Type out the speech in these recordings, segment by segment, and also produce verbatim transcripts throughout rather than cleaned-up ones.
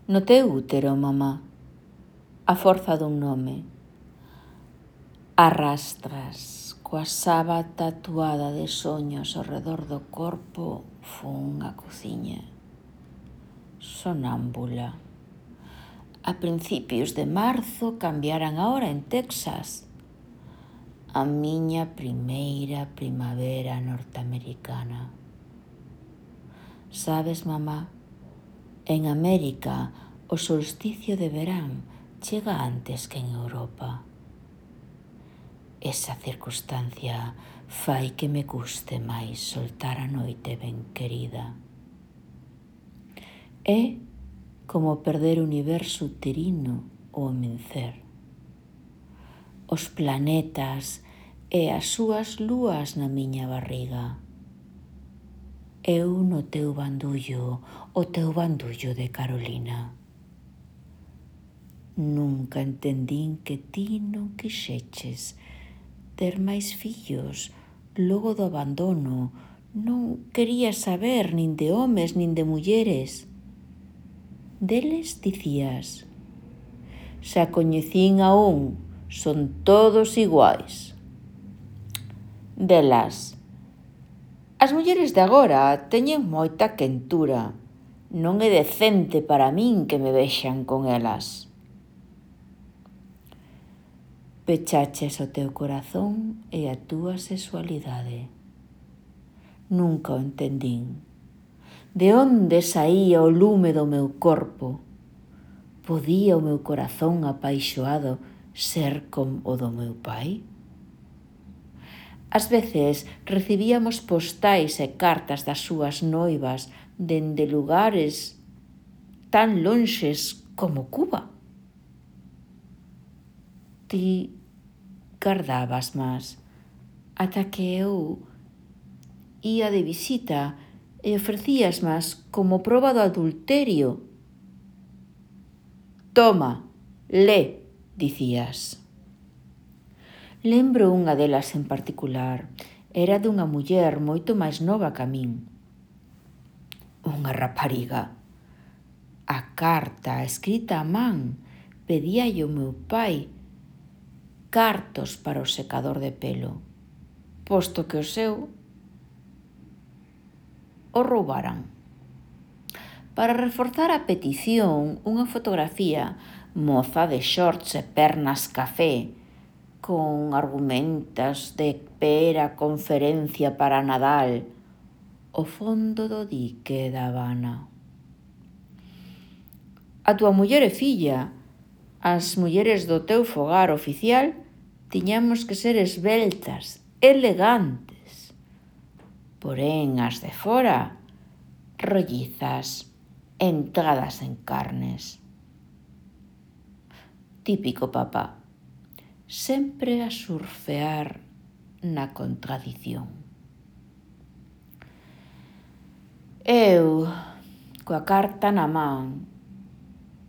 No teu útero, mamá, a forza dun nome, arrastras coa sába tatuada de soños ao redor do corpo fun a cociña, sonámbula. A principios de marzo cambiaran a hora en Texas. A miña primeira primavera norteamericana. Sabes, mamá, en América o solsticio de verán chega antes que en Europa. Esa circunstancia fai que me guste máis soltar a noite ben querida. É como perder o universo uterino ao amencer. Os planetas e as súas lúas na miña barriga. Eu no teu bandullo, o teu bandullo de Carolina. Nunca entendín que ti non quixeches ter máis fillos logo do abandono. Non querías saber nin de homes nin de mulleres. Deles dicías: xa coñecín a un, son todos iguais. Delas: as mulleres de agora teñen moita quentura. Non é decente para min que me vexan con elas. Pechaches o teu corazón e a túa sexualidade. Nunca o entendín. De onde saía o lume do meu corpo? Podía o meu corazón apaixoado ser como o do meu pai? Ás veces recibíamos postais e cartas das súas noivas dende lugares tan lonxes como Cuba. Ti gardabas más ata que eu ía de visita e ofrecías más como proba do adulterio. Toma, lé, dicías. Lembro unha delas en particular. Era dunha muller moito máis nova que a min. Unha rapariga. A carta escrita a man pedíalle o meu pai cartos para o secador de pelo, posto que o seu o roubaran. Para reforzar a petición, unha fotografía moza de shorts e pernas café con argumentas de pera conferencia para Nadal o fondo do dique da Habana. A túa muller e filla, as mulleres do teu fogar oficial, tiñamos que ser esbeltas, elegantes. Porén, as de fora, rollizas, entradas en carnes. Típico papá, sempre a surfear na contradición. Eu, coa carta na man,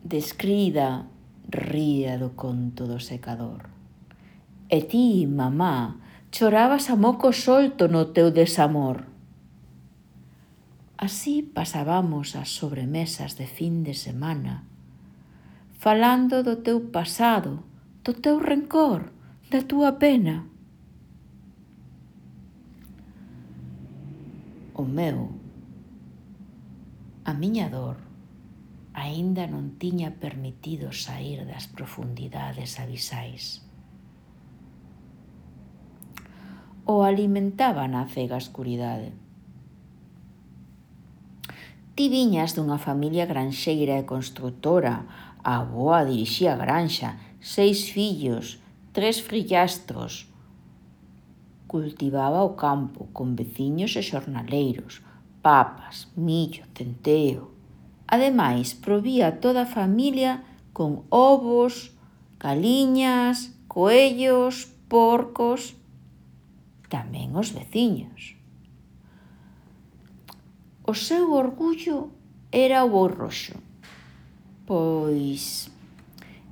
descrida, ría do conto do secador. E ti, mamá, chorabas a moco solto no teu desamor. Así pasábamos as sobremesas de fin de semana, falando do teu pasado, do teu rencor, da túa pena. O meu, a miña dor, aínda non tiña permitido saír das profundidades abisais. O alimentaba na cega escuridade. Ti viñas dunha familia granxeira e construtora. A avoa dirixía a granxa, seis fillos, tres frillastros. Cultivaba o campo con veciños e xornaleiros, papas, millo, centeo. Ademais, provía toda a familia con ovos, galiñas, coellos, porcos, tamén os veciños. O seu orgullo era o boi roxo, pois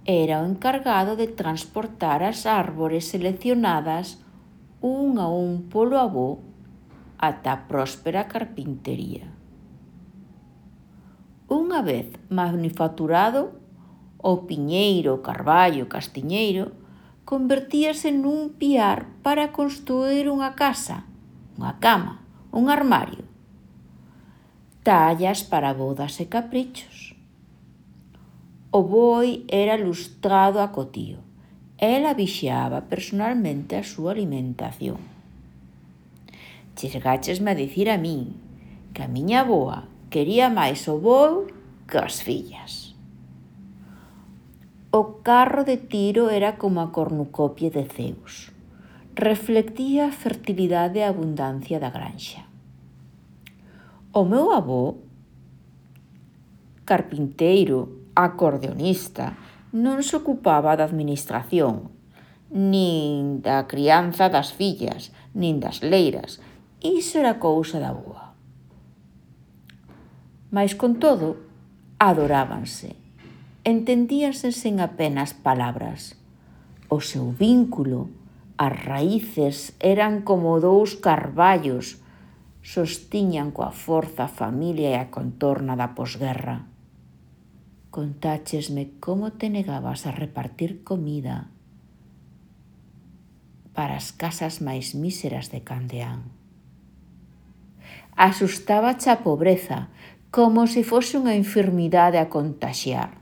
era o encargado de transportar as árbores seleccionadas un a un polo avó ata a próspera carpintería. Un unha vez manufacturado, o piñeiro, o carballo, o castiñeiro, convertíase nun piar para construir unha casa, unha cama, un armario. Tallas para bodas e caprichos. O boi era lustrado a cotío. Ela vixiaba personalmente a súa alimentación. Chegáchesme a dicir a min que a miña avoa quería máis o boi que as fillas. O carro de Tiro era como a cornucopia de Zeus. Reflectía a fertilidade e a abundancia da granxa. O meu avó, carpinteiro, acordeonista, non se ocupaba da administración, nin da crianza das fillas, nin das leiras. Iso era cousa da avoa. Mais, con todo, adorábanse. Entendíanse sen apenas palabras. O seu vínculo, as raíces, eran como dous carballos, sostiñan coa forza a familia e a contorna da posguerra. Contáchesme como te negabas a repartir comida para as casas máis míseras de Candeán. Asustábache a pobreza, como se fose unha enfermidade a contaxiar.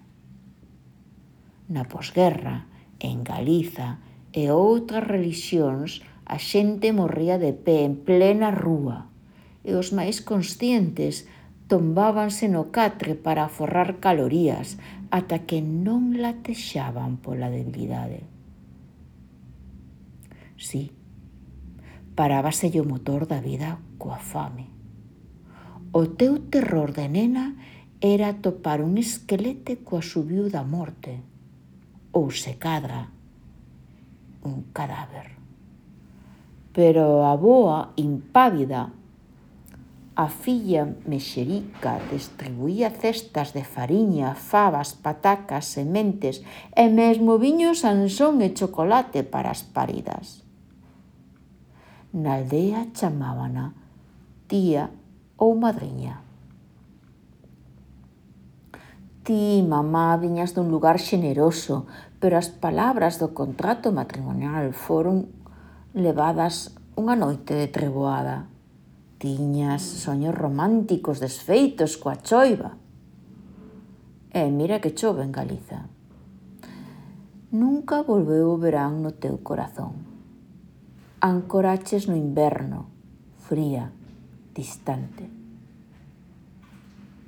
Na posguerra, en Galiza e outras relixións, a xente morría de pé en plena rúa e os máis conscientes tombábanse no catre para aforrar calorías ata que non latexaban pola debilidade. Si, parábaselle o motor da vida coa fame. O teu terror de nena era topar un esquelete coa subiu da morte, ou se cadra, un cadáver. Pero a avoa, impávida, a filla mexerica, distribuía cestas de fariña, fabas, patacas, sementes e mesmo viño Sansón e chocolate para as paridas. Na aldea chamábana tía ou madriña. Ti, mamá, viñas dun lugar xeneroso, pero as palabras do contrato matrimonial foron levadas unha noite de treboada. Tiñas soños románticos desfeitos coa choiva. E mira que chove en Galiza. Nunca volveu o verán no teu corazón. Ancoraches no inverno, fría, distante.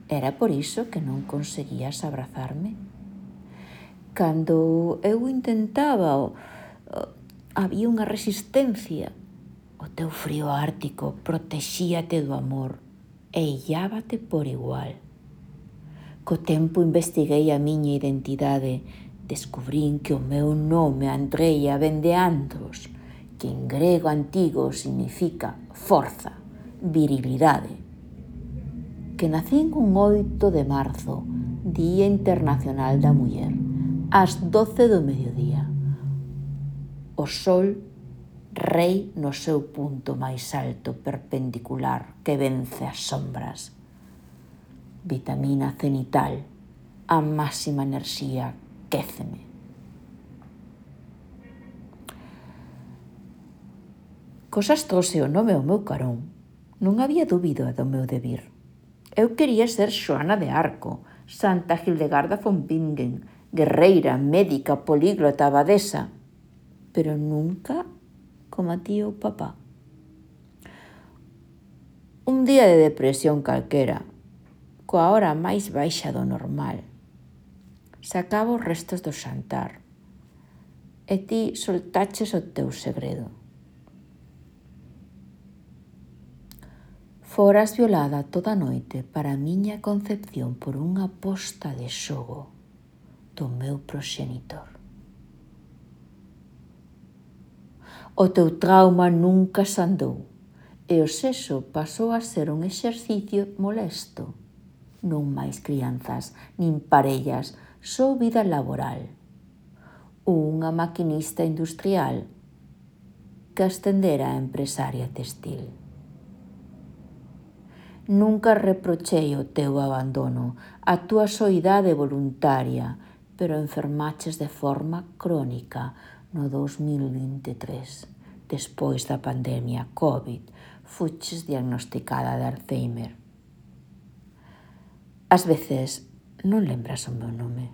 Era por iso que non conseguías abrazarme? Cando eu intentaba, había unha resistencia. O teu frío ártico protexíate do amor e illábate por igual. Co tempo investiguei a miña identidade. Descubrín que o meu nome, Andreia, vén de Andros, que en grego antigo significa forza, virilidade. Que nacín un oito de marzo, Día Internacional da Muller, ás doce do mediodía. O sol, rei no seu punto máis alto perpendicular que vence as sombras. Vitamina cenital, a máxima enerxía, quéceme. Cosas trouxe o nome ao meu carón. Non había dúbida do meu debir. Eu quería ser Xoana de Arco, Santa Hildegarda von Bingen, guerreira, médica, políglota, abadesa, pero nunca como a ti ou papá. Un día de depresión calquera, coa hora máis baixa do normal, sacaba os restos do xantar e ti soltaches o teu segredo. Foras violada toda a noite para a miña concepción por unha posta de xogo do meu proxenitor. O teu trauma nunca sandou e o sexo pasou a ser un exercicio molesto. Non máis crianzas, nin parellas, só vida laboral. Unha maquinista industrial que ascendera a empresaria textil. Nunca reprochei o teu abandono, a túa soidade voluntaria, pero enfermaches de forma crónica no dos mil vinte e tres. Despois da pandemia COVID, fuches diagnosticada de Alzheimer. Ás veces non lembras o meu nome.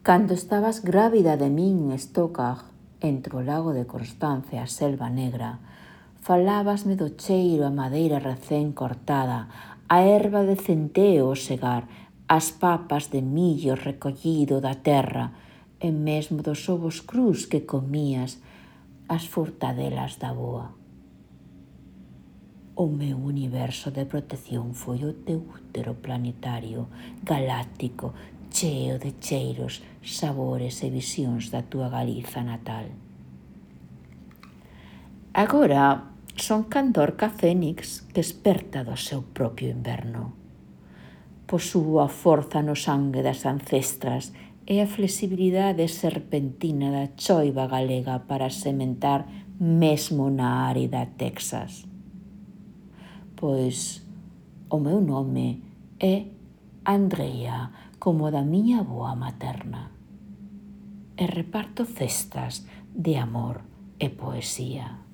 Cando estabas grávida de min en Stockach, entre o lago de Constance e a Selva Negra, falábasme do cheiro a madeira recén cortada, a erva de centeo ao segar, as papas de millo recollido da terra e mesmo dos ovos crus que comías, as furtadelas da boa. O meu universo de protección foi o teu útero planetario, galáctico, cheo de cheiros, sabores e visións da túa Galiza natal. Agora son Candorca Fénix que esperta do seu propio inverno. Posúo a forza no sangue das ancestras e a flexibilidade serpentina da choiva galega para sementar mesmo na árida Texas. Pois o meu nome é Andrea, como da miña avoa materna, e reparto cestas de amor e poesía.